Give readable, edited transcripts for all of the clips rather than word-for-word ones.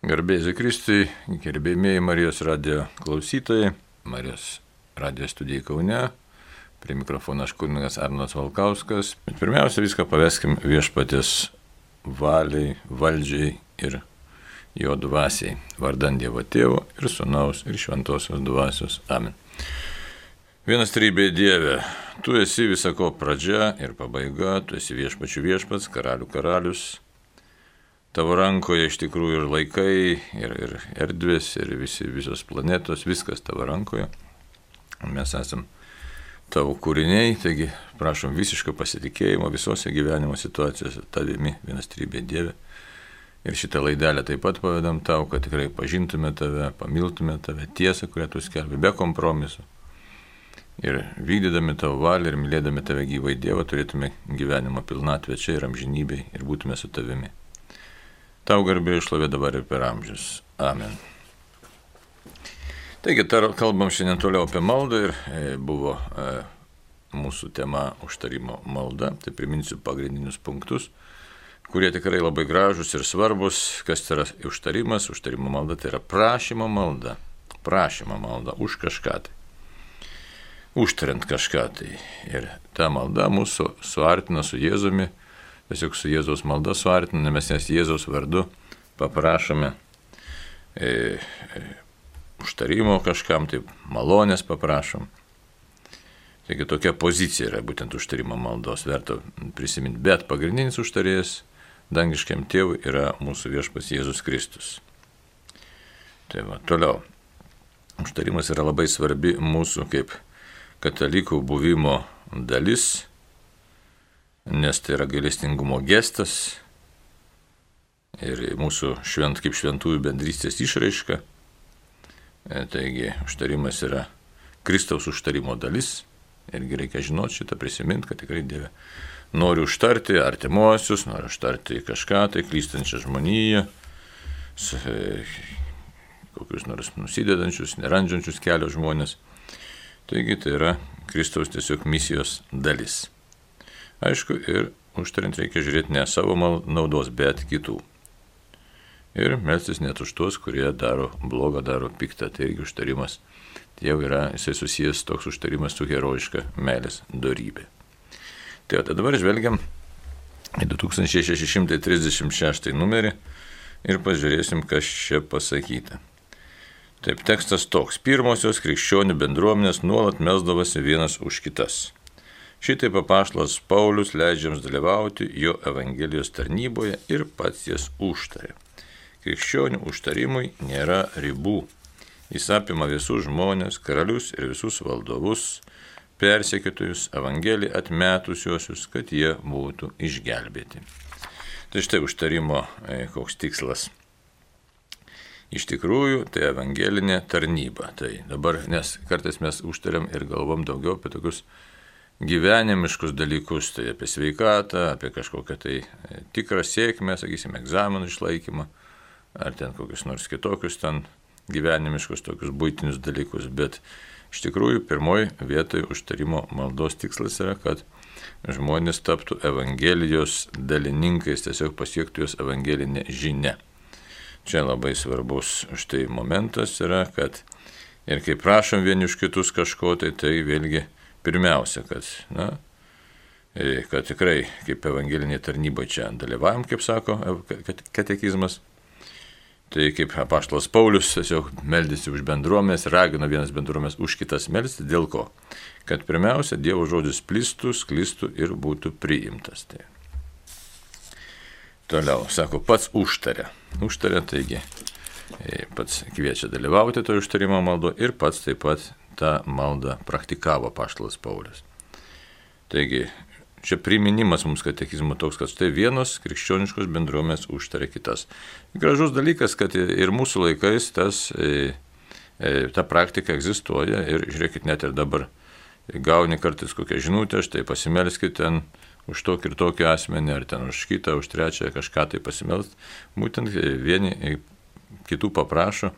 Garbėsiu Kristui, gerbėjai Marijos radijo klausytojai, Marijos radijo studijai Kaune, prie mikrofono aš kunigas Arnas Valkauskas. Bet pirmiausia, viską paveskim Viešpaties valiai, valdžiai ir jo dvasiai, vardan Dievo Tėvo ir Sūnaus ir Šventosios dvasios. Amen. Vienas trybė Dieve, tu esi visako pradžia ir pabaiga, tu esi viešpačių viešpats, karalių karalius. Tavo rankoje iš tikrųjų ir laikai, ir erdvės, ir visos planetos, viskas tavo rankoje. Mes esam tavo kūriniai, taigi prašom visiško pasitikėjimo visose gyvenimo situacijose tavimi, vienas trybė Dieve. Ir šitą laidelę taip pat pavedam tau, kad tikrai pažintume tave, pamiltume tave, tiesą, kurią tu skelbi, be kompromisų. Ir vykdydami tavo valią ir mylėdami tave gyvai Dievą, turėtume gyvenimo pilnatvę čia ir amžinybėj ir būtume su tavimi. Tau garbė ir šlovė dabar ir per amžius. Amen. Taigi, kalbam šiandien toliau apie maldą ir buvo mūsų tema užtarimo malda. Tai priminsiu pagrindinius punktus, kurie tikrai labai gražus ir svarbus. Kas tai yra užtarimas? Užtarimo malda tai yra prašymo malda. Prašymo malda už kažką tai. Užtariant kažką tai. Ir ta malda mūsų suartina su Jėzumi. Tiesiog su Jėzaus malda suartiname, nes Jėzaus vardu paprašome užtarimo kažkam, tai malonės paprašom. Taigi tokia pozicija yra būtent užtarimo maldos, verta prisiminti. Bet pagrindinis užtarėjas dangiškiam tėvui yra mūsų viešpats Jėzus Kristus. Tai va, toliau. Užtarimas yra labai svarbi mūsų kaip katalikų buvimo dalis, nes tai yra gailestingumo gestas ir mūsų kaip šventųjų bendrystės išraiška. Taigi užtarimas yra Kristaus užtarimo dalis. Irgi reikia žinoti šitą, prisiminti, kad tikrai Dieve nori užtarti artimuosius, nori užtarti kažką, tai klystančią žmoniją, kokius nors nusidedančius, nerandžiančius kelio žmonės. Taigi tai yra Kristaus tiesiog misijos dalis. Aišku, ir užtariant reikia žiūrėti ne savo naudos, bet kitų. Ir melstis net už tuos, kurie daro blogą, daro piktą. Tai irgi užtarimas. Tai jau yra, jisai susijęs toks užtarimas su herojiška meilės dorybė. Tai dabar žvelgiam į 2636 numerį ir pažiūrėsim, kas čia pasakyta. Taip, tekstas toks. Pirmosios krikščionių bendruomenės nuolat melsdavosi vienas už kitas. Šitaip apaštalas Paulius leidžia jiems dalyvauti jo evangelijos tarnyboje ir pats jas užtarė. Krikščionių užtarimui nėra ribų. Jis apima visus žmonės, karalius ir visus valdovus, persekiotojus, evangeliją atmetusiuosius, kad jie būtų išgelbėti. Tai štai užtarimo koks tikslas. Iš tikrųjų, tai evangelinė tarnyba. Tai dabar, nes kartais mes užtariam ir galvom daugiau apie tokius gyvenimiškus dalykus, tai apie sveikatą, apie kažkokią tai tikrą sėkmę, sakysim, egzaminų išlaikymą, ar ten kokius nors kitokius ten gyvenimiškus tokius buitinius dalykus, bet iš tikrųjų pirmoji vietoje užtarimo maldos tikslas yra, kad žmonės taptų evangelijos dalininkais, tiesiog pasiektų jos evangelinę žinią. Čia labai svarbus štai momentas yra, kad ir kai prašom vieni už kitus kažko, tai vėlgi pirmiausia, kad tikrai kaip evangelinė tarnyba čia dalyvavom, kaip sako katekizmas, tai kaip apaštalas Paulius tiesiog meldėsi už bendruomenės, ragino vienas bendruomenės už kitas melsti, dėl ko? Kad pirmiausia Dievo žodis plistų, sklistų ir būtų priimtas. Tai. Toliau, sako, pats užtarė. Užtarė, taigi, pats kviečia dalyvauti to užtarimo maldo ir pats taip pat tą maldą praktikavo apaštalas Paulius. Taigi, čia priminimas mums katekizmo toks, kad štai vienos krikščioniškos bendruomenės užtarė kitas. Gražus dalykas, kad ir mūsų laikais ta praktika egzistuoja ir žiūrėkit, net ir dabar gauni kartais kokią žinutę, štai pasimelskit ten už tokį ir tokį asmenį, ar ten už kitą, už trečią kažką tai pasimelst. Būtent vieni kitų paprašo,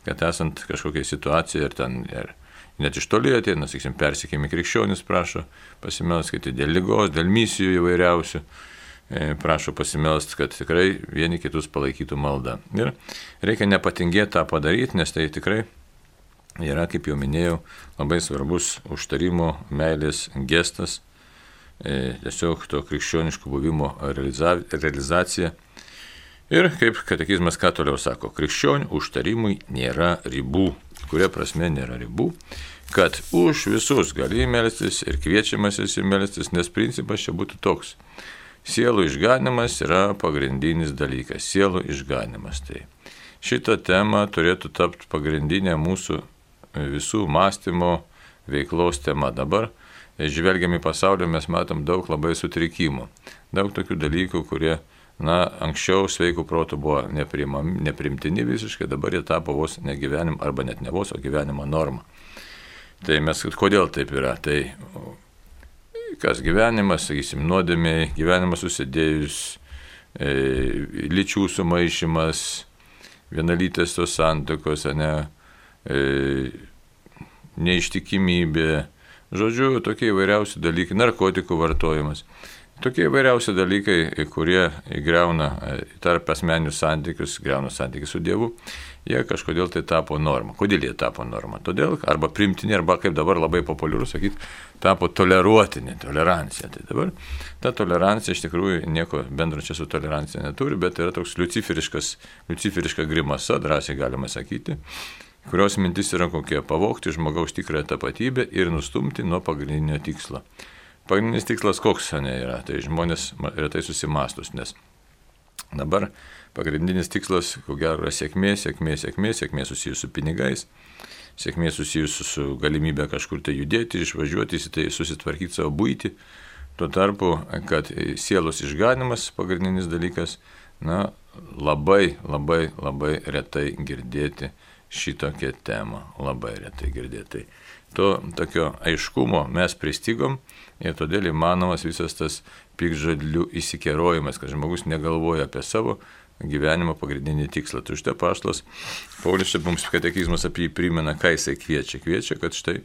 kad esant kažkokiai situacijai ir ten net iš toli ateina, sakysim, persikėjami krikščionys prašo pasimelskite dėl ligos, dėl misijų įvairiausių. prašo pasimelst, kad tikrai vieni kitus palaikytų maldą. Ir reikia nepatingėti tą padaryti, nes tai tikrai yra, kaip jau minėjau, labai svarbus užtarimo meilės gestas, tiesiog to krikščioniško buvimo realizacija. Ir kaip katekizmas ką toliau sako, krikščionių užtarimui nėra ribų. Kuria prasme nėra ribų? Kad už visus gali melstis ir kviečiamas esi melstis, nes principas čia būtų toks. Sielų išganimas yra pagrindinis dalykas. Sielų išganimas. Tai šitą temą turėtų tapti pagrindinė mūsų visų mąstymo veiklos tema. Dabar, žvelgiam į pasaulį, mes matom daug labai sutrikimų. Daug tokių dalykų, kurie, anksčiau sveikų protų buvo neprimtini visiškai, dabar jie tapo vos ne gyvenimo, arba net ne vos, o gyvenimo norma. Tai mes, kodėl taip yra? Tai kas gyvenimas, sakysim, nuodėmiai, gyvenimas susidėjus, lyčių sumaišymas, vienalytės tos santuokos, neištikimybė, žodžiu, tokie įvairiausi dalykai, narkotikų vartojimas. Tokie įvairiausi dalykai, kurie įgriauna tarp asmeninius santykius, griauna santykius su Dievu, jie kažkodėl tai tapo norma. Kodėl jie tapo norma? Todėl, arba primtini, arba kaip dabar labai populiaru sakyti, tapo toleruotini, tolerancija. Tai dabar ta tolerancija iš tikrųjų nieko bendro čia su tolerancija neturi, bet yra toks liuciferiška grimasa, drąsiai galima sakyti, kurios mintis yra kokie: pavogti žmogaus tikrąją tapatybę ir nustumti nuo pagrindinio tikslo. Pagrindinis tikslas koks yra, tai žmonės retai susimastus, nes dabar pagrindinis tikslas, ko gero, yra sėkmė susijusi su pinigais, sėkmė susijusi su galimybė kažkur tai judėti, išvažiuoti, tai susitvarkyti savo buitį. Tuo tarpu, kad sielos išganimas pagrindinis dalykas, labai retai girdėti šitokią temą, labai retai girdėti. To tokio aiškumo mes pristigom ir todėl įmanomas visas tas piktžodžių įsikerojimas, kad žmogus negalvoja apie savo gyvenimo pagrindinį tikslą. Tai štai apaštalas Paulius, mums katekizmas apie jį primena, ką jisai kviečia. Kviečia, kad štai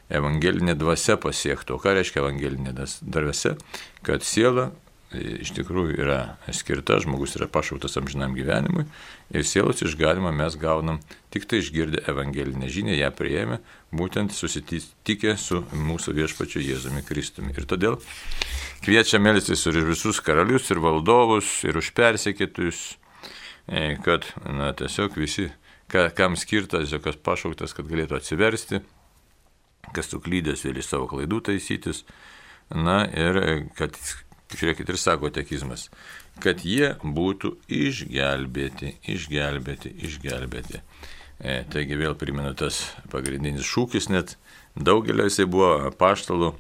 evangelinė dvasia pasiektų. O ką reiškia evangelinė dvasia? Kad siela iš tikrųjų yra skirta, žmogus yra pašauktas amžinam gyvenimui ir sielos išganimą mes gaunam tik tai išgirdę evangelinę žinią, ją priėmę, būtent susitikę su mūsų viešpačiu Jėzumi Kristumi. Ir todėl kviečia melstis ir visus karalius, ir valdovus, ir už persekėtojus, kad tiesiog visi, kam skirtas, kas pašauktas, kad galėtų atsiversti, kas suklydęs vėl iš savo klaidų taisytis, ir kad, žiūrėkit, ir sako katekizmas, kad jie būtų išgelbėti. Taigi vėl primenu tas pagrindinis šūkis, net daugelio jisai buvo apaštalų,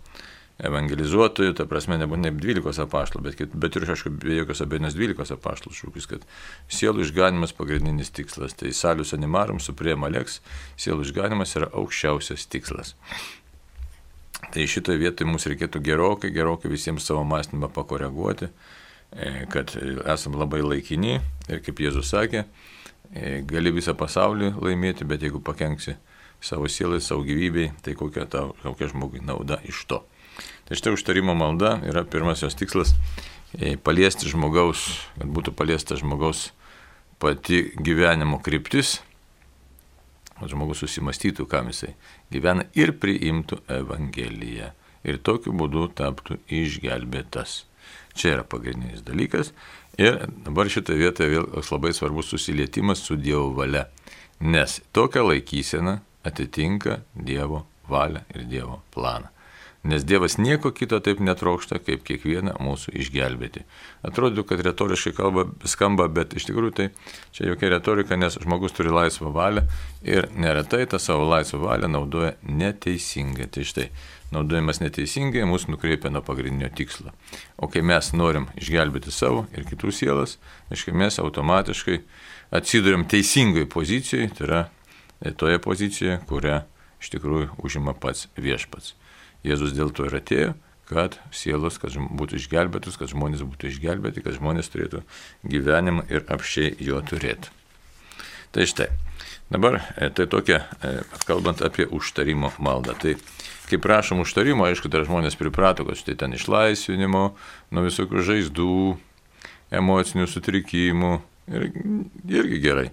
evangelizuotojų, ta prasme nebūtinai 12 apaštalų, bet ir aišku, be jokios abejonės 12 apaštalų šūkis, kad sielų išganimas pagrindinis tikslas. Tai salus animarum suprema lex, sielų išganimas yra aukščiausias tikslas. Tai šitoje vietoje mums reikėtų gerokai visiems savo mąstymą pakoreguoti, kad esam labai laikini ir kaip Jėzus sakė, gali visą pasaulį laimėti, bet jeigu pakenksi savo sielai, savo gyvybei, tai kokia žmogui nauda iš to. Tai štai užtarimo malda yra pirmasis tikslas paliesti žmogaus, kad būtų paliesta žmogaus pati gyvenimo kryptis, kad žmogus susimastytų, kam jisai gyvena ir priimtų Evangeliją. Ir tokiu būdu taptų išgelbėtas. Čia yra pagrindinis dalykas. Ir dabar šitoje vietoje vėl labai svarbus susilietimas su Dievo valia. Nes tokia laikysena atitinka Dievo valią ir Dievo planą. Nes Dievas nieko kito taip netrokšta, kaip kiekvieną mūsų išgelbėti. Atrodo, kad retoriškai skamba, bet iš tikrųjų tai čia jokia retorika, nes žmogus turi laisvą valią ir neretai tą savo laisvą valią naudoja neteisingai. Tai štai, naudojimas neteisingai mūsų nukreipia nuo pagrindinio tikslo. O kai mes norim išgelbėti savo ir kitų sielas, aiškiai mes automatiškai atsiduriam teisingoje pozicijoje, tai yra toje pozicijoje, kurią iš tikrųjų užima pats viešpats. Jėzus dėl to ir atėjo, kad sielos, kad būtų išgelbėtus, kad žmonės būtų išgelbėti, kad žmonės turėtų gyvenimą ir apsčiai jo turėtų. Tai štai, dabar tai tokia, kalbant apie užtarimo maldą. Tai kai prašom užtarimo, aišku, dar žmonės priprato, kad štai ten išlaisvinimo, nuo visokių žaizdų, emocinių sutrikimų ir irgi gerai.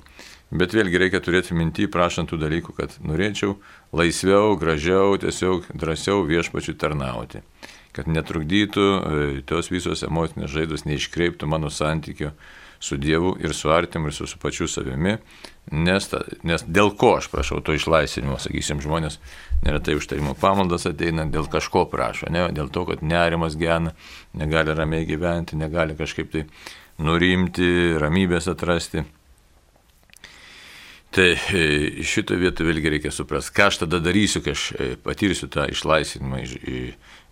Bet vėlgi reikia turėti mintį, prašant tų dalykų, kad norėčiau laisviau, gražiau, tiesiog drąsiau viešpačiui tarnauti. Kad netrukdytų tos visos emocinės žaizdos, neiškreiptų mano santykio su Dievu ir su artimu ir su pačiu savimi. Nes dėl ko aš prašau to išlaisvinimo, sakysim, žmonės neretai užtarimo pamaldas ateina, dėl kažko prašo, ne? Dėl to, kad nerimas gena, negali ramiai gyventi, negali kažkaip tai nurimti, ramybės atrasti. Tai šitą vietą vėlgi reikia suprasti, ką aš tada darysiu, kai aš patirsiu tą išlaisvinimą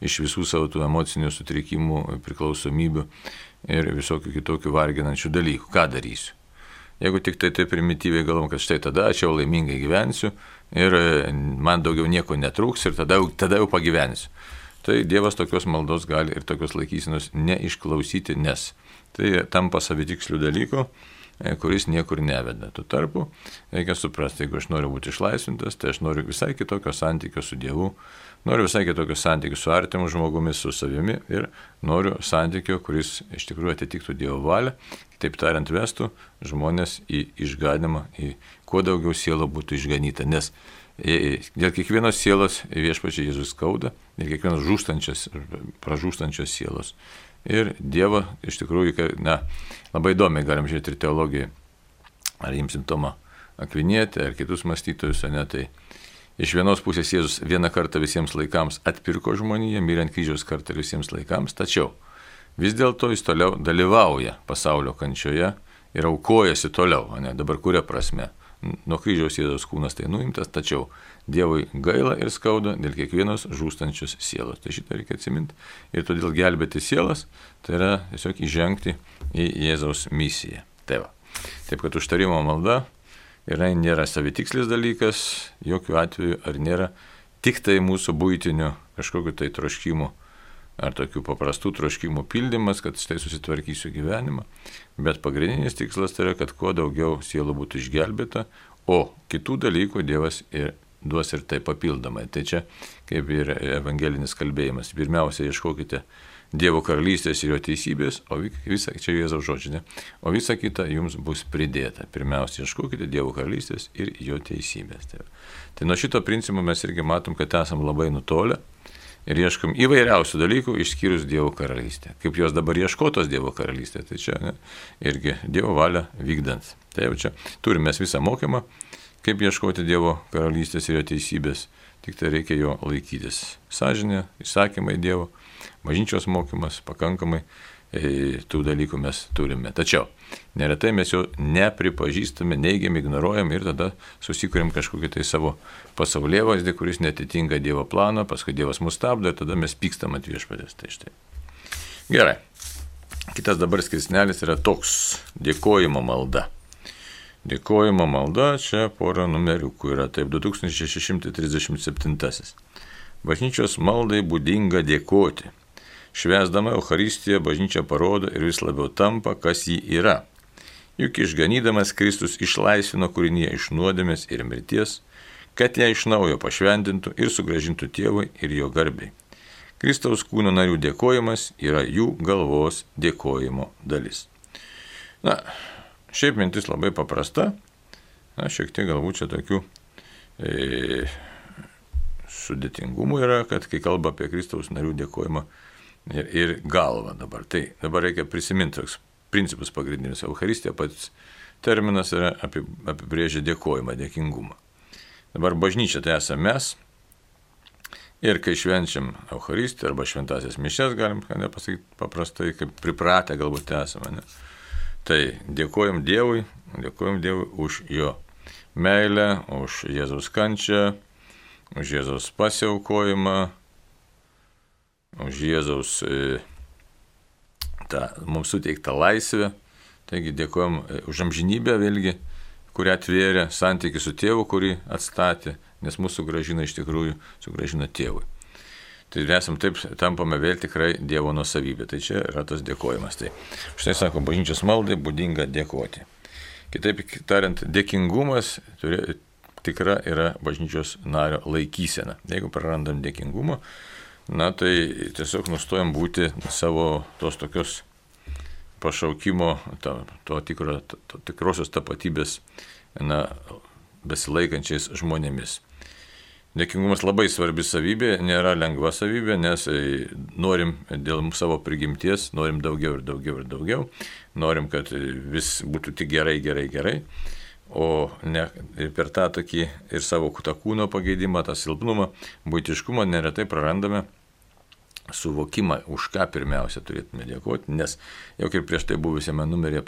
iš visų savo tų emocinių sutrikimų, priklausomybių ir visokių kitokių varginančių dalykų. Ką darysiu? Jeigu tik tai primityviai galvom, kad štai tada aš jau laimingai gyvensiu ir man daugiau nieko netrūks ir tada jau pagyvensiu. Tai Dievas tokios maldos gali ir tokios laikysenos neišklausyti, nes tai tampa savitikslių dalykų, kuris niekur neveda. Tuo tarpu reikia suprasti, jeigu aš noriu būti išlaisvintas, tai aš noriu visai kitokio santykio su Dievu, noriu visai kitokio santykio su artimu žmogumi, su savimi ir noriu santykio, kuris iš tikrųjų atitiktų Dievo valią, kitaip tariant, vestų žmonės į išganymą, į kuo daugiau sielų būtų išganyta, nes dėl kiekvienos sielos viešpačiai Jėzus skauda ir kiekvienos pražūstančios sielos. Ir Dievą iš tikrųjų, labai įdomiai galim žiūrėti ir teologiją, ar imsim Tomą Akvinietį, ar kitus mąstytojus, tai iš vienos pusės Jėzus vieną kartą visiems laikams atpirko žmoniją, mirė ant kryžiaus kartą visiems laikams, tačiau vis dėlto jis toliau dalyvauja pasaulio kančioje ir aukojasi toliau, dabar kuria prasme. Nuo kryžiaus Jėzaus kūnas tai nuimtas, tačiau Dievui gaila ir skauda dėl kiekvienos žūstančios sielos. Tai šitą reikia atsiminti. Ir todėl gelbėti sielas, tai yra tiesiog įžengti į Jėzaus misiją. Taip kad užtarimo malda nėra savitikslis dalykas, jokių atveju ar nėra tik tai mūsų buitinių kažkokiu tai troškimų ar tokių paprastų troškimų pildymas, kad štai susitvarkysiu gyvenimą, bet pagrindinis tikslas tai yra, kad kuo daugiau sielų būtų išgelbėta, o kitų dalykų Dievas duos ir tai papildomai. Tai čia kaip ir evangelinis kalbėjimas. Pirmiausia, ieškokite Dievo karalystės ir jo teisybės, o visa, čia Jėzaus žodžiai, o visa kita jums bus pridėta. Pirmiausia, ieškokite Dievo karalystės ir jo teisybės. Tai nuo šito principo mes irgi matom, kad esam labai nutolę ir ieškom įvairiausių dalykų išskyrus Dievo karalystę. Kaip jos dabar ieškotos Dievo karalystė, tai čia irgi Dievo valią vykdant. Tai jau čia turime mes visą mokymą, kaip ieškoti Dievo karalystės ir jo teisybės, tik tai reikia jo laikytis. Sąžinė, įsakymai Dievo, bažnyčios mokymas, pakankamai tų dalykų mes turime. Tačiau neretai mes jo nepripažįstame, neigiam, ignoruojam ir tada susikuriam kažkokį tai savo pasaulėvaizdį, kuris netitinka Dievo plano, paskui Dievas mus stabdo ir tada mes pykstam ant viešpatės. Tai štai. Gerai. Kitas dabar skirsnelis yra toks – dėkojimo malda. Dėkojimo malda, čia pora numeriukų yra, taip 2637. Bažnyčios maldai būdinga dėkoti. Švęsdama Eucharistiją bažnyčia parodo ir vis labiau tampa, kas ji yra. Juk išganydamas Kristus išlaisvino kūriniją iš nuodėmės ir mirties, kad ją iš naujo pašventintų ir sugrąžintų Tėvui ir jo garbei. Kristaus kūno narių dėkojimas yra jų galvos dėkojimo dalis. Šiaip mintis labai paprasta, šiek tiek galbūt čia tokių sudėtingumų yra, kad kai kalba apie Kristaus narių dėkojimą ir galvą dabar. Tai dabar reikia prisiminti toks principus pagrindinius. Eucharistija pats terminas yra apibrėžia dėkojimą, dėkingumą. Dabar bažnyčia tai esame mes ir kai švenčiam Eucharistiją arba šventasias mišias, galim pasakyti paprastai, kaip pripratę galbūt esame. Tai dėkojam Dievui už jo meilę, už Jėzaus kančią, už Jėzaus pasiaukojimą, už Jėzaus mums suteiktą laisvę. Taigi dėkojam už amžinybę vėlgi, kurią atvėrė santykį su Tėvu, kurį atstatė, nes mūsų sugrąžina iš tikrųjų, sugrąžina Tėvui. Tai esam taip, tampame vėl tikrai Dievo nuosavybė. Tai čia yra tas dėkojimas. Tai štai sako, bažnyčios maldai būdinga dėkoti. Kitaip tariant, dėkingumas tikra yra bažnyčios nario laikysena. Jeigu prarandam dėkingumą, tai tiesiog nustojam būti savo tos tokios pašaukimo, to tikrosios tapatybės besilaikančiais žmonėmis. Dėkingumas labai svarbi savybė, nėra lengva savybė, nes norim dėl savo prigimties, norim daugiau ir daugiau ir daugiau, norim, kad vis būtų tik gerai, o ne per tą tokį ir savo tą kūno pageidimą, tą silpnumą, buitiškumą neretai prarandame suvokimą, už ką pirmiausia turėtume dėkoti, nes jau kaip prieš tai buvusiame numeryje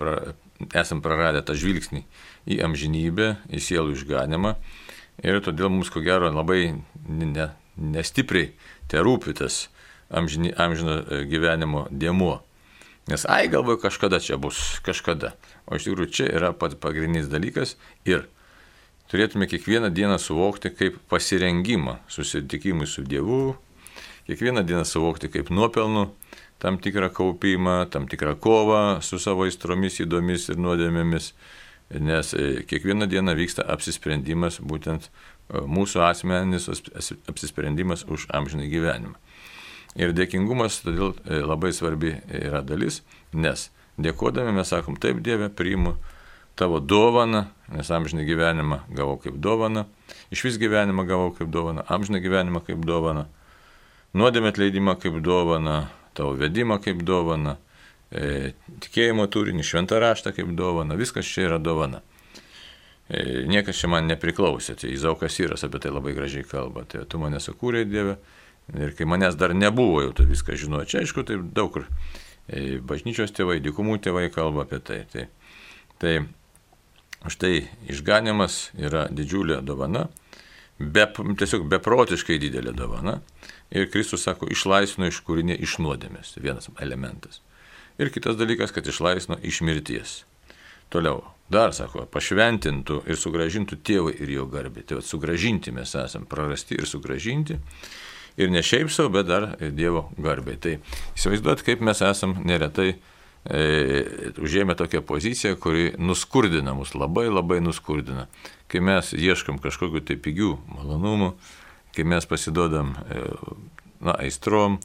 esam praradę tą žvilgsnį į amžinybę, į sielų išganimą. Ir todėl mums, ko gero, labai nestipriai te rūpi tas amžino gyvenimo dėmuo. Nes galvoju, kažkada čia bus, kažkada. O iš tikrųjų čia yra pats pagrindinis dalykas ir turėtume kiekvieną dieną suvokti kaip pasirengimą susitikimui su Dievu, kiekvieną dieną suvokti kaip nuopelnų, tam tikrą kaupimą, tam tikrą kovą su savo aistromis, įdomis ir nuodėmėmis. Nes kiekvieną dieną vyksta apsisprendimas, būtent mūsų asmeninis apsisprendimas už amžinį gyvenimą. Ir dėkingumas todėl labai svarbi yra dalis, nes dėkodami mes sakom, taip Dieve, priimu tavo dovaną, nes amžinį gyvenimą gavau kaip dovaną, išvis gyvenimą gavau kaip dovaną, amžinį gyvenimą kaip dovaną, nuodėmę atleidimą kaip dovaną, tavo vedimą kaip dovaną, tikėjimo turinį, šventą raštą kaip dovana, viskas čia yra dovana. Niekas čia man nepriklausė, tai Izaukas Syras apie tai labai gražiai kalba, tai tu mane sukūrei, Dieve, ir kai manęs dar nebuvo, jau tu viską žinoji. Čia aišku, tai daug kur bažnyčios tėvai, dykumų tėvai kalba apie tai. Tai štai išganimas yra didžiulė dovana, tiesiog beprotiškai didelė dovana, ir Kristus sako, išlaisvino iš kūrinė iš nuodėmės, vienas elementas. Ir kitas dalykas, kad išlaisvino iš mirties. Toliau, dar sako, pašventintų ir sugražintų tėvui ir jo garbė. Tai sugražinti mes esame, prarasti ir sugražinti. Ir ne šiaip savo, bet dar Dievo garbė. Tai įsivaizduot, kaip mes esame neretai užėmę tokią poziciją, kuri nuskurdina mus, labai labai nuskurdina. Kai mes ieškam kažkokiu tai pigių malonumų, kai mes pasiduodam aistrom,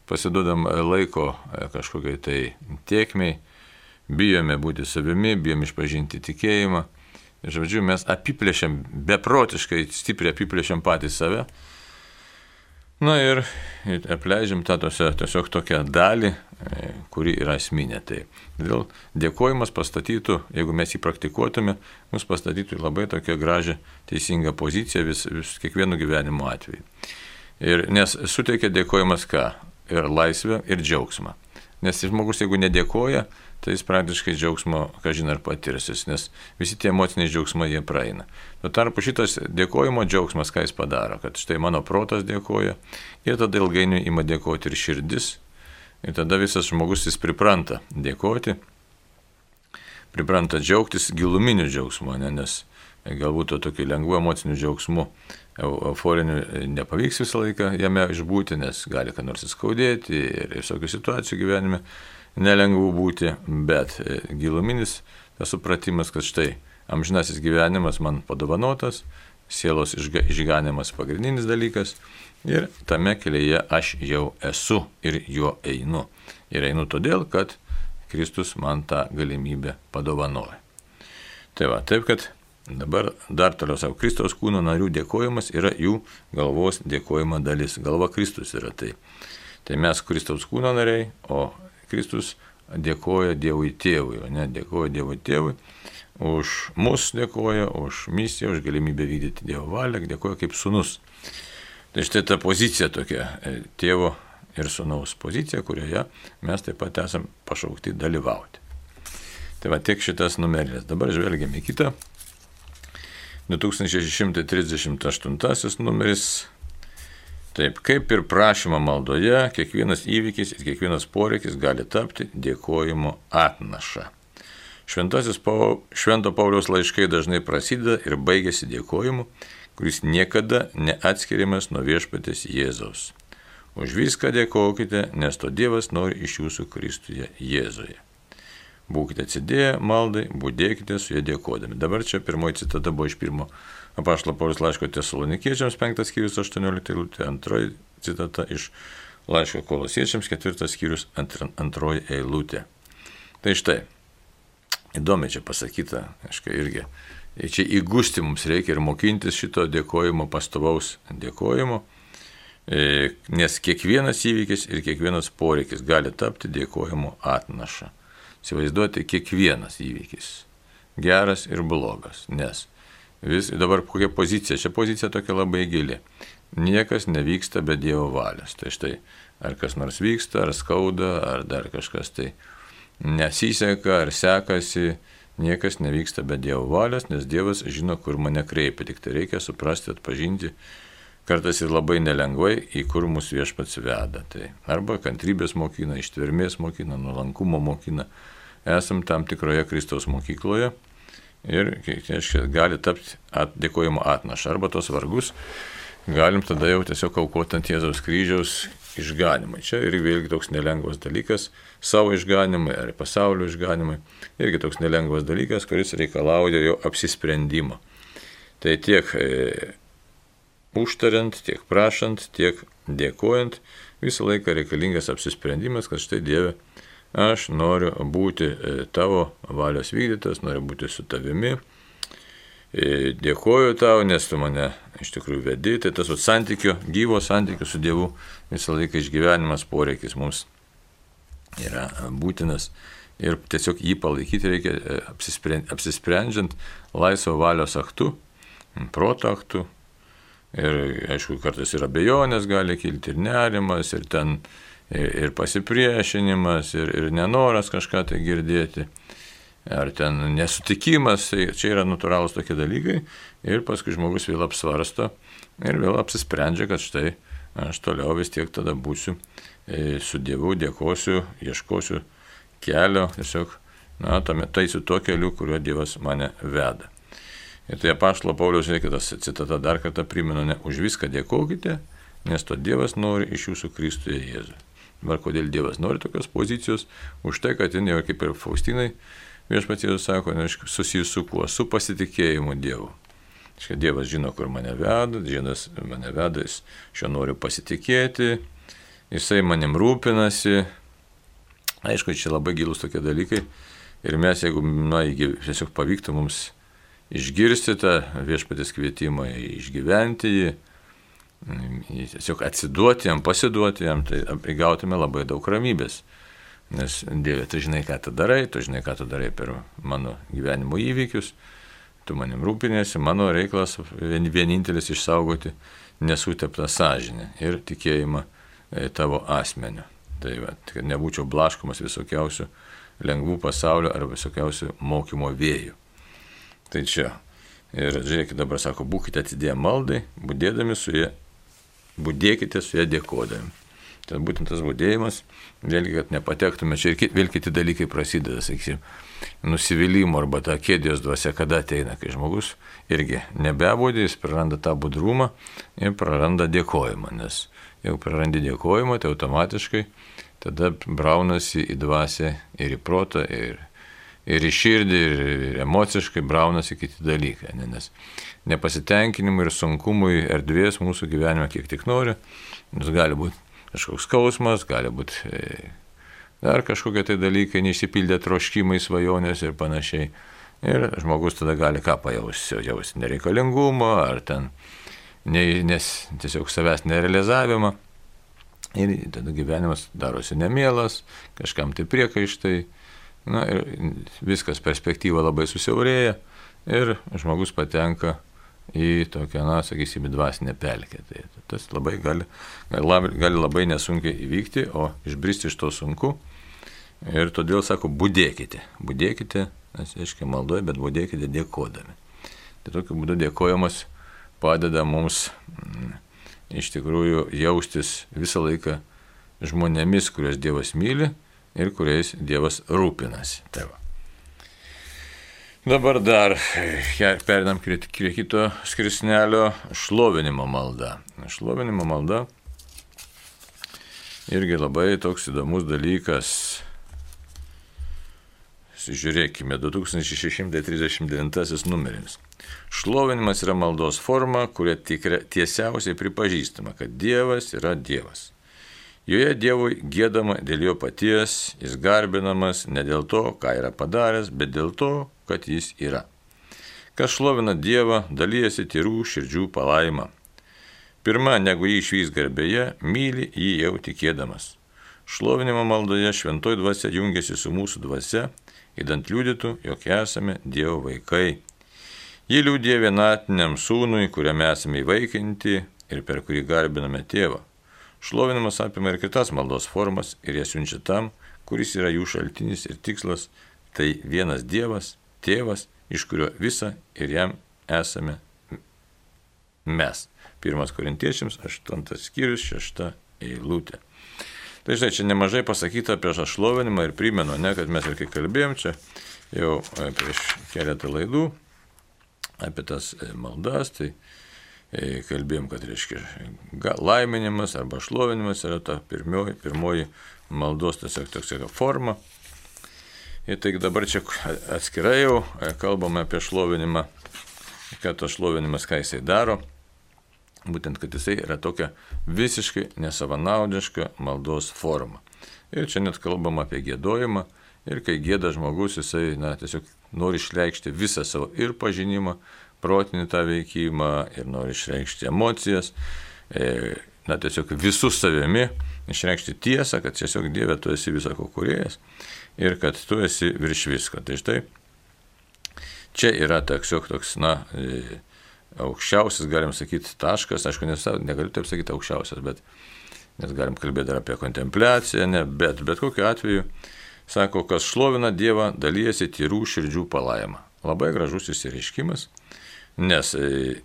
pasiduodam laiko kažkokiai tai tėkmei, bijome būti savimi, bijome išpažinti tikėjimą. Žodžiu, mes apiplėšiam, beprotiškai stipriai apiplėšiam patys save. Ir apleidžiam tą tiesiog tokią dalį, kuri yra esminė. Tai dėl dėkojimas pastatytų, jeigu mes jį praktikuotume, mus pastatytų labai tokią gražią, teisingą poziciją vis kiekvienu gyvenimo atveju. Nes suteikia dėkojimas ką? Ir laisvę, ir džiaugsmą. Nes žmogus, jeigu nedėkoja, tai jis praktiškai džiaugsmo, kažin ar patirsis, nes visi tie emociniai džiaugsmai jie praeina. Tuo tarpu šitas dėkojimo džiaugsmas, ką jis padaro, kad štai mano protas dėkoja, ir tada ilgainiui ima dėkoti ir širdis, ir tada visas žmogus jis pripranta dėkoti, pripranta džiaugtis giluminiu džiaugsmu, nes galbūt to tokiu lengvu emociniu džiaugsmu, euforiniu nepavyks visą laiką jame išbūti, nes gali ką nors įskaudėti ir visokių situacijų gyvenime nelengvų būti, bet giluminis tas supratimas, kad štai amžinasis gyvenimas man padovanotas, sielos išganimas pagrindinis dalykas ir tame kelyje aš jau esu ir juo einu. Ir einu todėl, kad Kristus man tą galimybę padovanoja. Tai va, taip kad dabar dar toliau savo Kristaus kūno narių dėkojimas yra jų galvos dėkojimo dalis. Galva Kristus yra tai. Tai mes Kristaus kūno nariai, o Kristus dėkoja Dievui Tėvui, o ne dėkoja Dievui Tėvui. Už mus dėkoja, už misiją, už galimybę vykdyti Dievo valią, dėkoja kaip sūnus. Tai štai ta pozicija tokia, tėvo ir sūnaus pozicija, kurioje mes taip pat esam pašaukti dalyvauti. Tai va tiek šitas numeris. Dabar žvelgiame į kitą. 2638 numeris. Taip, kaip ir prašymo maldoje, kiekvienas įvykis ir kiekvienas poreikis gali tapti dėkojimo atnaša. Švento Pauliaus laiškai dažnai prasideda ir baigėsi dėkojimu, kuris niekada neatskiriamas nuo viešpaties Jėzaus. Už viską dėkokite, nes to Dievas nori iš jūsų Kristuje Jėzuje. Būkite atsidėję maldai, būdėkite su jie dėkodami. Dabar čia pirmoji citata buvo iš pirmo apaštalo Pauliaus laiško Tesalonikiečiams 5 skyrius 18 eilutė, antroji citata iš laiško Kolosiečiams 4 skyrius 2 eilutė. Tai štai, įdomiai čia pasakyta, aišku, irgi. Čia įgusti mums reikia ir mokintis šito dėkojimo, pastovaus dėkojimo, nes kiekvienas įvykis ir kiekvienas poreikis gali tapti dėkojimo atnaša. Įsivaizduoti kiekvienas įvykis, geras ir blogas, nes dabar kokia pozicija, čia pozicija tokia labai gili. Niekas nevyksta be Dievo valios. Tai štai, ar kas nors vyksta, ar skauda, ar dar kažkas tai nesiseka, ar sekasi, niekas nevyksta be Dievo valios, nes Dievas žino, kur mane kreipia. Tik tai reikia suprasti, atpažinti, kartais ir labai nelengvai, į kur mus Viešpats veda. Tai arba kantrybės mokina, ištvermės mokina, nuolankumo mokina. Esam tam tikroje Kristaus mokykloje ir gali tapti dėkojimo atnaša. Arba tos vargus galim tada jau tiesiog aukoti ant Jėzaus kryžiaus išganimai. Čia ir vėlgi toks nelengvas dalykas, savo išganimai ar pasaulio išganimai, irgi toks nelengvas dalykas, kuris reikalauja jo apsisprendimo. Tai tiek užtariant, tiek prašant, tiek dėkojant, visą laiką reikalingas apsisprendimas, kad štai Dieve, aš noriu būti tavo valios vykdytas, noriu būti su tavimi, dėkoju tau, nes tu mane iš tikrųjų vedi. Tai tas santykio, gyvo santykio su Dievu visą laiką išgyvenimas poreikis mums yra būtinas ir tiesiog jį palaikyti reikia apsisprendžiant laisvo valios aktu, proto aktu. Ir aišku, kartais ir abejonės gali kilti, ir nerimas, ir ten ir pasipriešinimas, ir nenoras kažką tai girdėti. Ar ten nesutikimas, tai čia yra natūralūs tokie dalykai ir paskui žmogus vėl apsvarsto ir vėl apsisprendžia, kad štai aš toliau vis tiek tada būsiu su Dievu, dėkosiu, ieškosiu kelio, tiesiog, taisiu tuo keliu, kuriuo Dievas mane veda. Ir tai apaštalo Pauliaus reikia tas citata dar kartą primenu, ne už viską dėkokite, nes to Dievas nori iš jūsų Kristuje Jėzui. Dabar kodėl Dievas nori tokios pozicijos? Už tai, kad jin jau kaip ir Faustinai, Viešpats Jėzus sako, susijus su kuo? Su pasitikėjimu Dievu. Dievas žino, kur mane veda, Dievas mane veda, jis šio noriu pasitikėti, jisai manim rūpinasi. Aišku, čia labai gilus tokie dalykai. Ir mes, jeigu tiesiog pavyktų mums išgirsti tą Viešpatės kvietimą, išgyventi jį, tiesiog atsiduoti jam, pasiduoti jam, tai įgautume labai daug ramybės. Nes Dieve, tu žinai, ką tu darai per mano gyvenimo įvykius, tu manim rūpinėsi, mano reikalas vienintelis išsaugoti nesuteptą sąžinę ir tikėjimą tavo asmeniu. Tai kad nebūčiau blaškomas visokiausių lengvų pasaulio ar visokiausių mokymo vėjų. Tai čia. Ir žiūrėkit, dabar sako, būkite atidėję maldai, budėkite su ją dėkodami. Tai būtent tas budėjimas, vėlgi, kad nepatektume, čia ir vėl kiti dalykai prasideda, sakysim, nusivylimų arba ta kėdės dvasia, kada ateina, kai žmogus irgi nebebūdė, jis praranda tą budrumą ir praranda dėkojimą, nes jeigu prarandi dėkojimą, tai automatiškai tada braunasi į dvasią ir į protą, ir į širdį, ir emociškai braunasi kiti dalykai, nes nepasitenkinimui ir sunkumui erdvės mūsų gyvenime kiek tik nori, nes gali būti kažkoks skausmas, gali būti dar kažkokie tai dalykai, neišsipildė troškimai, svajonės ir panašiai. Ir žmogus tada gali ką jausti nereikalingumą, ar ten nes tiesiog savęs nerealizavimą. Ir tada gyvenimas darosi nemielas, kažkam tai priekaištai, ir viskas perspektyva labai susiaurėja ir žmogus patenka į tokią, sakysime, dvasinę pelkę. Tai tas labai gali labai nesunkiai įvykti, o išbristi iš to sunku. Ir todėl sako, budėkite, nes aiškiai maldoja, bet budėkite dėkodami. Tai tokiu būdu dėkojimas padeda mums iš tikrųjų jaustis visą laiką žmonėmis, kuriuos Dievas myli ir kuriais Dievas rūpinasi. Tai va. Dabar dar perinam prie kito skirsnelio šlovinimo malda. Šlovinimo malda irgi labai toks įdomus dalykas. Žiūrėkime, 2639 numeris. Šlovinimas yra maldos forma, kuria tiesiausiai pripažįstama, kad Dievas yra Dievas. Joje Dievui giedama dėl jo paties, jis garbinamas ne dėl to, ką yra padaręs, bet dėl to, kad jis yra. Kas šlovina Dievą, dalyjasi tyrų širdžių palaima. Pirma, negu jį išvys garbėje, myli jį jau tikėdamas. Šlovinimo maldoje šventoji dvasia jungiasi su mūsų dvasia, įdant liudytų, jog esame Dievo vaikai. Ji liudija vienatiniam sūnui, kuriame esame įvaikinti ir per kurį garbiname tėvą. Šlovinimas apima ir kitas maldos formas ir jas siunčia tam, kuris yra jų šaltinis ir tikslas, tai vienas Dievas, tėvas, iš kurio visa ir jam esame mes. 1 Korintiečiams 8 skyrius 6 eilutė. Tai štai čia nemažai pasakyta prieš šlovinimą ir primenu, kad mes ir kai kalbėjom čia jau prieš keletą laidų apie tas maldas, tai kalbėjom, kad reiškia laiminimas arba šlovinimas yra ta pirmoji maldos tiesiog tokia forma. Ir tai dabar čia atskirai jau kalbame apie šlovinimą, kad tas šlovinimas ką jisai daro. Būtent, kad jisai yra tokia visiškai nesavanaudiška maldos forma. Ir čia net kalbama apie giedojimą. Ir kai gieda žmogus, jisai tiesiog nori išreikšti visą savo ir pažinimą, protinį tą veikimą, ir nori išreikšti emocijas, tiesiog visų savimi, išreikšti tiesą, kad tiesiog Dieve tu esi visako kūrėjas ir kad tu esi virš visko. Tai štai čia yra tiesiog toks, aukščiausias, galim sakyti, taškas, aišku, negaliu taip sakyti aukščiausias, bet nes galim kalbėti dar apie kontempliaciją, bet kokiu atveju, sako, kas šlovina Dievą, dalyjasi tyrų širdžių palaima. Labai gražus išsireiškimas, nes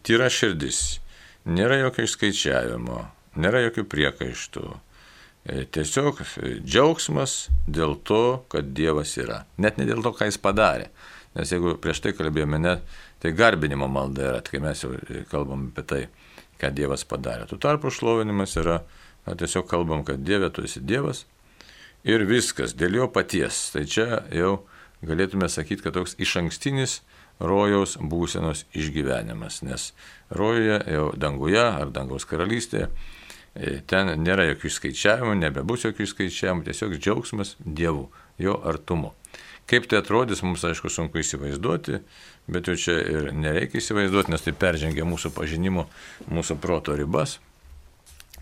tyra širdis, nėra jokio išskaičiavimo, nėra jokių priekaištų, tiesiog džiaugsmas dėl to, kad Dievas yra, net ne dėl to, ką jis padarė. Nes jeigu prieš tai kalbėjome, tai garbinimo malda yra, kai mes jau kalbam apie tai, ką Dievas padarė. Tuo tarpu šlovinimas yra, tiesiog kalbam, kad Dieve, tu esi Dievas ir viskas, dėl jo paties. Tai čia jau galėtume sakyti, kad toks išankstinis rojaus būsenos išgyvenimas, nes rojuje jau danguje ar dangaus karalystėje, ten nėra jokių skaičiavimų, nebebus jokių skaičiavimų, tiesiog džiaugsmas Dievu, jo artumu. Kaip tai atrodys, mums aišku sunku įsivaizduoti, bet jau čia ir nereikia įsivaizduoti, nes tai peržengia mūsų pažinimo, mūsų proto ribas.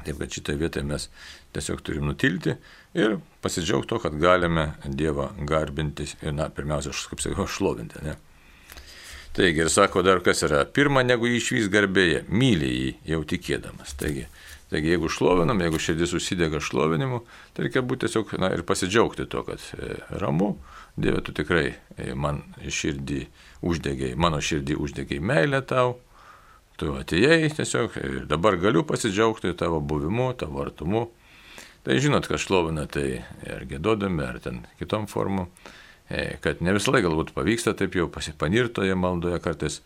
Taip kad šitą vietą mes tiesiog turim nutilti ir pasidžiaugti to, kad galime Dievą garbinti ir, pirmiausia, kaip sakiau, šlovinti. Ne? Taigi, ir sako dar kas yra, pirma, negu jį išvys garbėje, myli jį jau tikėdamas. Taigi, jeigu šlovinam, jeigu širdis užsidega šlovinimu, tai reikia būti tiesiog ir pasidžiaugti to, kad ramu, Dieve, tu tikrai mano širdį uždegiai meilę tau, tu atėjai tiesiog ir dabar galiu pasidžiaugti tavo buvimu, tavo artumu. Tai žinot, kad šlovina, tai ar giedodami, ar ten kitom formom, kad ne visą laiką galbūt pavyksta taip jau pasipanirtoje maldoje, kartais,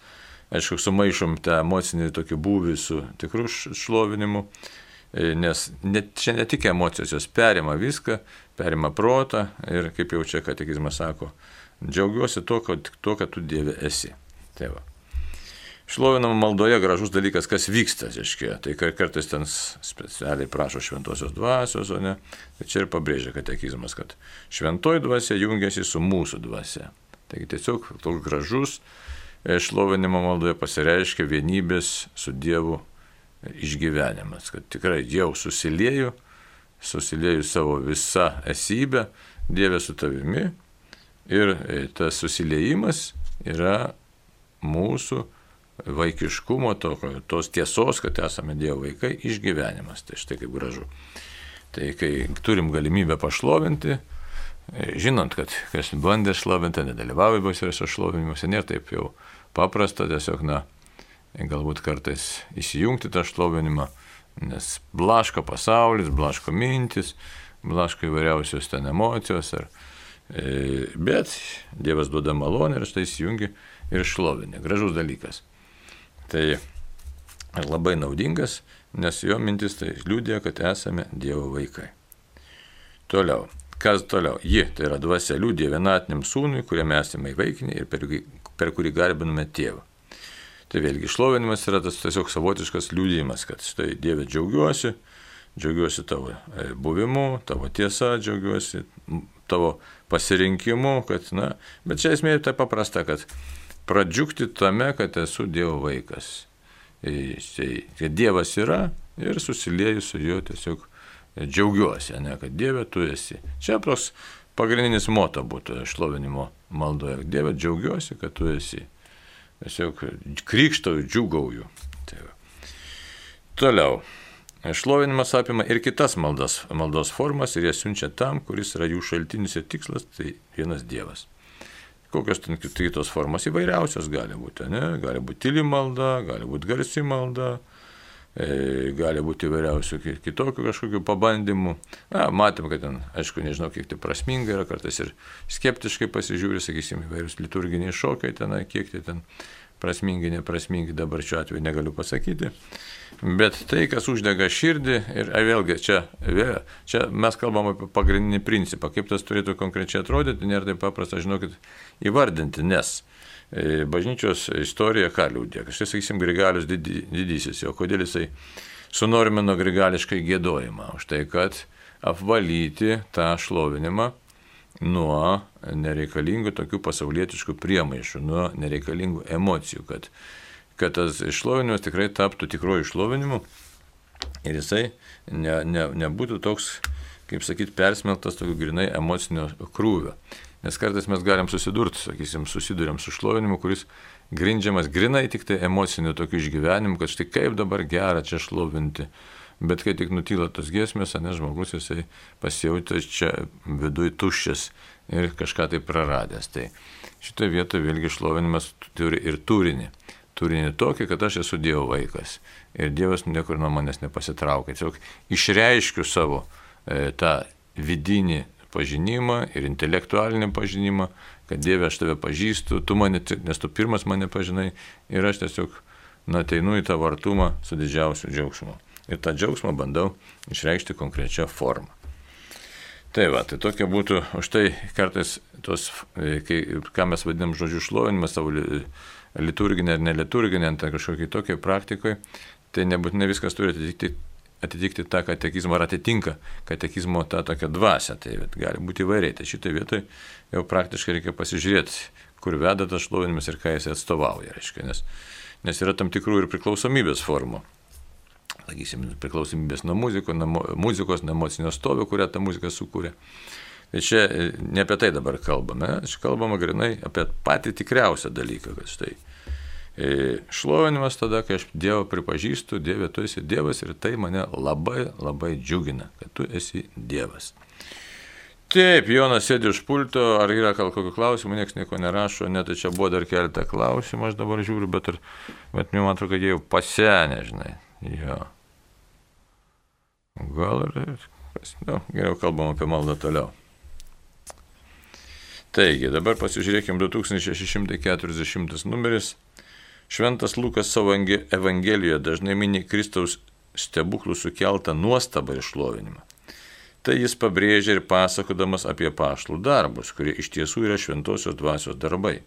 aišku, sumaišom tą emocinį tokį būvį su tikru šlovinimu, nes čia ne tik emocijos, jos perima viską, perima protą ir, kaip jau čia katekizmas sako, džiaugiuosi to, kad tu Dieve esi. Tai va. Šlovinama maldoje gražus dalykas, kas vyksta, reiškia. Tai kartais ten specialiai prašo šventosios dvasios, o ne. Tai čia ir pabrėžia katekizmas, kad šventoji dvasia jungiasi su mūsų dvasia. Taigi tiesiog toks gražus šlovinimo maldoje pasireiškia vienybės su Dievu išgyvenimas, kad tikrai jau susilieju savo visą esybę, Dieve su tavimi ir tas susiliejimas yra mūsų vaikiškumo, tos tiesos, kad esame Dievo vaikai, išgyvenimas. Tai štai kaip gražu. Tai kai turim galimybę pašlovinti, žinant, kad kas bandė šlovinti, nedalyvauja įvairiuose šlovinimuose, nėra taip jau paprasta, tiesiog, galbūt kartais įsijungti tą šlovinimą, nes blaško pasaulis, blaško mintis, blaško įvairiausios ten emocijos, bet Dievas duoda malonę ir štai įsijungi ir šlovinė. Gražus dalykas. Tai labai naudingas, nes jo mintis tai liudija, kad esame Dievo vaikai. Toliau. Kas toliau? Ji, tai yra dvasia, liudija vienatiniam sūnui, kuriame esame įvaikinę ir per kurį garbiname tėvą. Tai vėlgi šlovinimas yra tas tiesiog savotiškas liudijimas, kad štai Dieve džiaugiuosi, džiaugiuosi tavo buvimu, tavo tiesa, džiaugiuosi tavo pasirinkimu, kad, bet čia esmė tai paprasta, kad pradžiugti tame, kad esu Dievo vaikas. Kad Dievas yra ir susilieju su juo tiesiog džiaugiuosi, kad Dieve tu esi. Čia toks pagrindinis moto būtų šlovinimo maldoje. Dieve, džiaugiuosi, kad tu esi. Tiesiog krykštauju, džiugauju. Tai toliau. Šlovinimas apima ir kitas maldos formas ir jas siunčia tam, kuris yra jų šaltinis ir tikslas, tai vienas Dievas. Kokios ten kitos formos įvairiausios gali būti, gali būti tyli malda, gali būti garsi malda, gali būti įvairiausių kitokių kažkokių pabandymų. Matėm, kad ten, aišku, nežinau, kiek tai prasminga yra, kartais ir skeptiškai pasižiūri, sakysim, įvairius liturginiai šokiai ten, kiek tai ten prasmingi, neprasmingi, dabar šiuo atveju negaliu pasakyti. Bet tai, kas uždega širdį, ir vėlgi, čia mes kalbam apie pagrindinį principą, kaip tas turėtų konkrečiai atrodyti, nėra taip paprasta, žinokit, įvardinti, nes bažnyčios istorija ką liūdė, kažkai, sakysim, Grigalius didysis, o kodėl jisai sunormino grigališkai giedojimą, už tai, kad apvalyti tą šlovinimą nuo nereikalingų tokių pasaulietiškų priemaišų, nuo nereikalingų emocijų, kad tas šlovinimas tikrai taptų tikruoju šlovinimu ir jisai nebūtų toks, kaip sakyti, persmelktas tokiu grinai emocinio krūvio. Nes kartais mes galim susiduriam su šlovinimu, kuris grindžiamas grinai tik tai emociniu tokiu išgyvenimu, kad štai kaip dabar gera čia šlovinti. Bet kai tik nutyla tos giesmės, žmogus jisai pasijauti čia viduj tuščias ir kažką tai praradęs. Tai šitoje vietoje vėlgi šlovinimas turi ir turinį. Turinį tokį, kad aš esu Dievo vaikas. Ir Dievas niekur nuo manęs nepasitraukia. Tiesiog išreiškiu savo tą vidinį pažinimą ir intelektualinį pažinimą, kad Dieve aš tave pažįstu, nes tu pirmas mane pažinai ir aš tiesiog ateinu į tavo artumą su didžiausiu džiaugsmu. Ir tą džiaugsmą bandau išreikšti konkrečią formą. Tai tokia būtų, už tai kartais ką mes vadinam žodžiu šlovinimas savo liturginė ar neliturginė, tai kažkokiai tokiai praktikoje, tai nebūtinai viskas turi atitikti tą katekizmą ar atitinka katekizmo tą tokią dvasią, tai gali būti įvairiai. Tai šitoje vietoje jau praktiškai reikia pasižiūrėti, kur veda tas šlovinimas ir ką jis atstovauja, reiškia, nes yra tam tikrų ir priklausomybės formų. Sakysim, priklausomybės nuo muzikos, nuo emocinio stovio, kurią ta muzika sukūrė. Tai čia ne apie tai dabar kalbame, čia kalbama grinai apie patį tikriausią dalyką, kad štai šlovinimas tada, kai aš Dievą pripažįstu, Dieve, tu esi Dievas ir tai mane labai, labai džiugina, kad tu esi Dievas. Taip, Jonas sėdi už pulto, ar yra kokių klausimų, niekas nieko nerašo, net čia buvo dar keletą klausimų, aš dabar žiūriu, bet man atrodo, kad jie jau pasenė, žinai. Jo. Gal ir geriau kalbam apie maldą toliau. Taigi, dabar pasižiūrėkime 2640 numeris. Šventas Lukas savo evangelijoje dažnai mini Kristaus stebuklų sukeltą nuostabą ir šlovinimą. Tai jis pabrėžia ir pasakodamas apie apaštalų darbus, kurie iš tiesų yra šventosios dvasios darbai.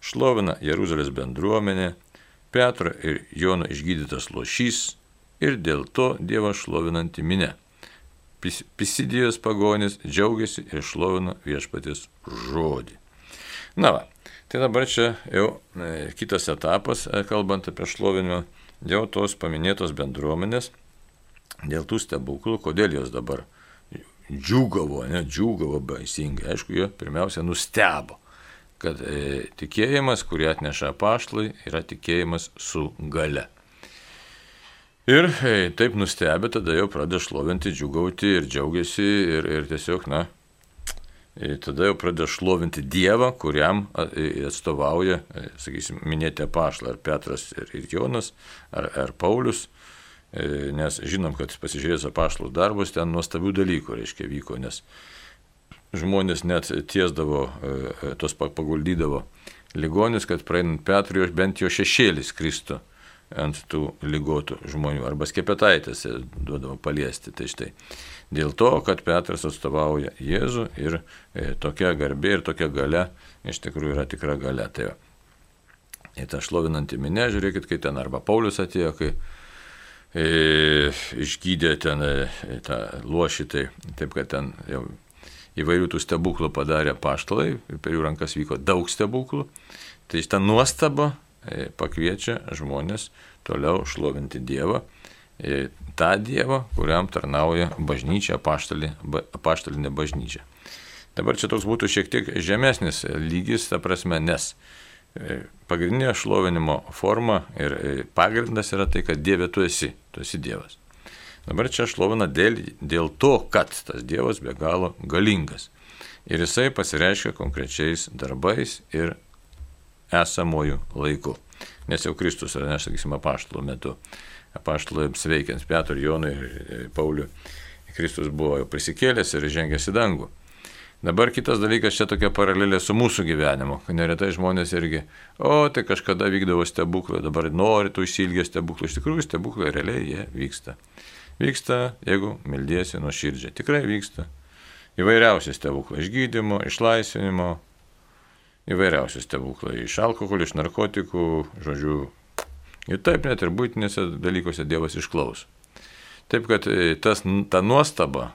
Šlovina Jeruzalės bendruomenė, Petro ir Jono išgydytas lošys ir dėl to Dievą šlovinanti minia. Pisidijos pagonis džiaugiasi ir šlovino viešpaties žodį. Tai dabar čia jau kitas etapas, kalbant apie šlovinimą, jau tos paminėtos bendruomenės, dėl tų stebuklų, kodėl jos dabar džiūgavo baisingai. Aišku, jie pirmiausia nustebo, kad tikėjimas, kurį atneša apaštalai, yra tikėjimas su galia. Ir taip nustebę, tada jau pradeda šlovinti, džiūgauti ir džiaugiasi ir tiesiog, tada jau pradeda šlovinti Dievą, kuriam atstovauja, sakysim, minėti apaštalai, ar Petras ir Jonas, ar Paulius, nes žinom, kad pasižiūrėjus apaštalų darbus, ten nuostabių dalykų, reiškia, vyko, nes žmonės net tiesdavo, tos paguldydavo ligonius, kad praeinant Petrui bent jo šešėlis kristų ant tų ligotų žmonių, arba skepetaitės duodavo paliesti. Tai štai dėl to, kad Petras atstovauja Jėzų ir tokia garbė ir tokia galia iš tikrųjų yra tikra galia. Tai į tą šlovinantį minę, žiūrėkit, kai ten arba Paulius atėjo, kai išgydė ten tą luošį, taip kad ten jau įvairių tų stebuklų padarė apaštalai, per jų rankas vyko daug stebuklų. Tai šitą nuostabą pakviečia žmonės toliau šlovinti Dievą, tą Dievą, kuriam tarnauja bažnyčia, apaštalinė bažnyčia. Dabar čia toks būtų šiek tiek žemesnis lygis, ta prasme, nes pagrindinė šlovinimo forma ir pagrindas yra tai, kad Dieve tu esi Dievas. Dabar čia šlovina dėl to, kad tas Dievas be galo galingas. Ir jisai pasireiškia konkrečiais darbais ir esamojų laiku. Nes jau Kristus, sakysime, apaštalų metu, apaštalams veikiant Petrui, Jonui ir Pauliui, Kristus buvo jau prisikėlęs ir žengęs į dangų. Dabar kitas dalykas, čia tokia paralelė su mūsų gyvenimu, kad neretai žmonės irgi, tai kažkada vykdavo stebuklai, dabar nori tų išsilgę stebuklų. Iš tikrųjų, stebuklai realiai jie vyksta. Vyksta, jeigu meldiesi nuoširdžiai. Tikrai vyksta. Įvairiausi stebuklai. Iš gydymo, išlaisvinimo, įvairiausi stebuklai. Iš alkoholio, iš narkotikų, žodžiu. Ir taip net ir būtinėse dalykuose Dievas išklauso. Taip, kad ta nuostaba,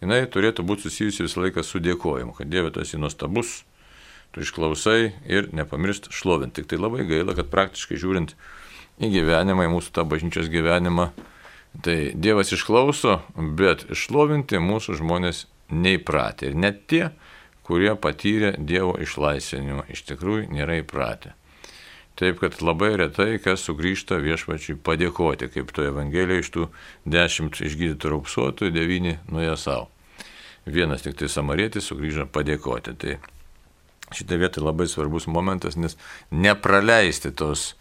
jinai turėtų būti susijusi visą laiką su dėkojimu, kad Dieve tu esi nuostabus, tu išklausai ir nepamiršt šlovinti. Tik tai labai gaila, kad praktiškai žiūrint į gyvenimą, į mūsų tą bažnyčios gyvenimą, tai Dievas išklauso, bet šlovinti mūsų žmonės neįpratę. Ir net tie, kurie patyrė Dievo išlaisvinimą, iš tikrųjų nėra įpratę. Taip, kad labai retai kas sugrįžta viešpačiui padėkoti, kaip to Evangelijoje iš tų 10 išgydytų raupsuotojų 9 nuėjo savo. Vienas tik tai samarietis sugrįžo padėkoti. Tai šitą vietą labai svarbus momentas, nes nepraleisti tos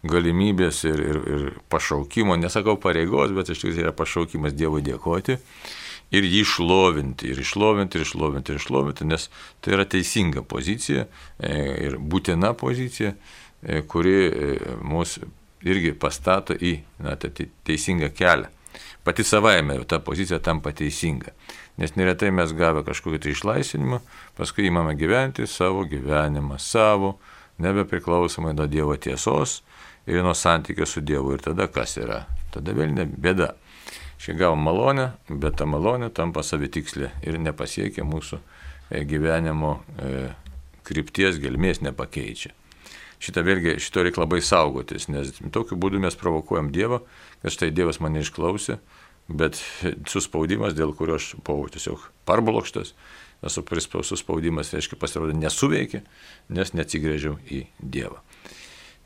galimybės ir pašaukimo, nesakau pareigos, bet iš tikrųjų yra pašaukimas Dievui dėkoti ir jį šlovinti, ir išlovinti, nes tai yra teisinga pozicija ir būtina pozicija, kuri mus irgi pastato į teisingą kelią. Pati savaime ta pozicija tampa teisinga, nes neretai mes gavę kažkokį išlaisvinimą, paskui įmame gyventi savo gyvenimą, nebepriklausomai nuo Dievo tiesos ir nuo santykio su Dievu. Ir tada kas yra? Tada vėl bėda. Šia gavom malonę, bet ta malonė tampa savitikslė ir nepasiekia mūsų gyvenimo krypties, gelmės nepakeičia. Šito reikia labai saugotis, nes tokiu būdu mes provokuojam Dievą, kad štai Dievas mane išklausė, bet suspaudimas, dėl kurio aš buvau tiesiog parblokštas, suspaudimas, reiškia, pasirodė nesuveikė, nes neatsigrėžiau į Dievą.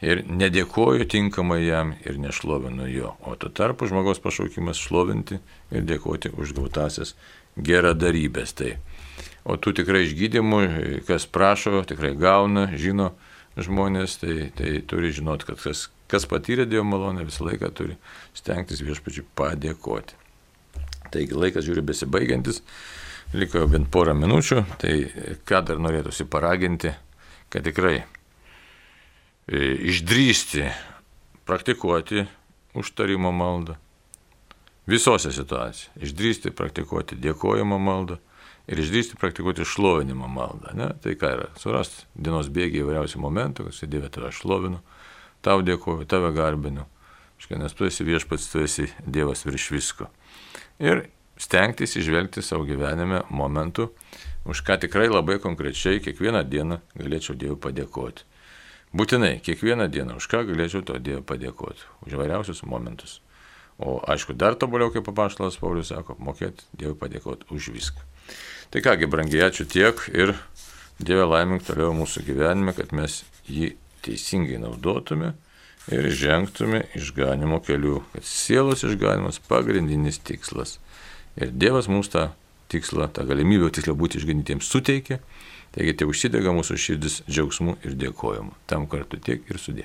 Ir nedėkoju tinkamai jam ir nešlovinu jo. O tuo tarpu žmogaus pašaukimas šlovinti ir dėkoti už gautasias geradarybės. O tų tikrai išgydymų, kas prašo, tikrai gauna, žino žmonės, tai turi žinoti, kad kas patyrė Dievo malonę, visą laiką turi stengtis viešpačiui padėkoti. Taigi laikas žiūri besibaigiantis, liko jau bent porą minučių, tai ką dar norėtųsi paraginti, kad tikrai išdrįsti praktikuoti užtarimo maldą visose situacijose. Išdrįsti praktikuoti dėkojimo maldą ir išdrįsti praktikuoti šlovinimo maldą. Tai ką yra? Surasti dienos bėgiai įvairiausių momentų, kad Dieve tave šlovinu, tau dėkoju, tave garbinu, nes tu esi viešpats, tu esi Dievas virš visko. Ir stengtis išvelgti savo gyvenime momentų, už ką tikrai labai konkrečiai kiekvieną dieną galėčiau Dievui padėkoti. Būtinai, kiekvieną dieną, už ką galėčiau to Dievui padėkoti, už įvairiausius momentus. O aišku, dar tobuliau, kaip apaštalas Paulius sako, mokėti Dievui padėkoti už viską. Tai kągi, brangiai, ačiū tiek ir Dieve laimink toliau mūsų gyvenime, kad mes jį teisingai naudotume ir žengtume išganimo keliu, kad sielos išganimas pagrindinis tikslas. Ir Dievas mums tą tikslą, tą galimybę tiksliau būti išganytiems suteikė. Taigi tai užsidega mūsų širdis džiaugsmu ir dėkojimu. Tam kartu tiek ir sudė.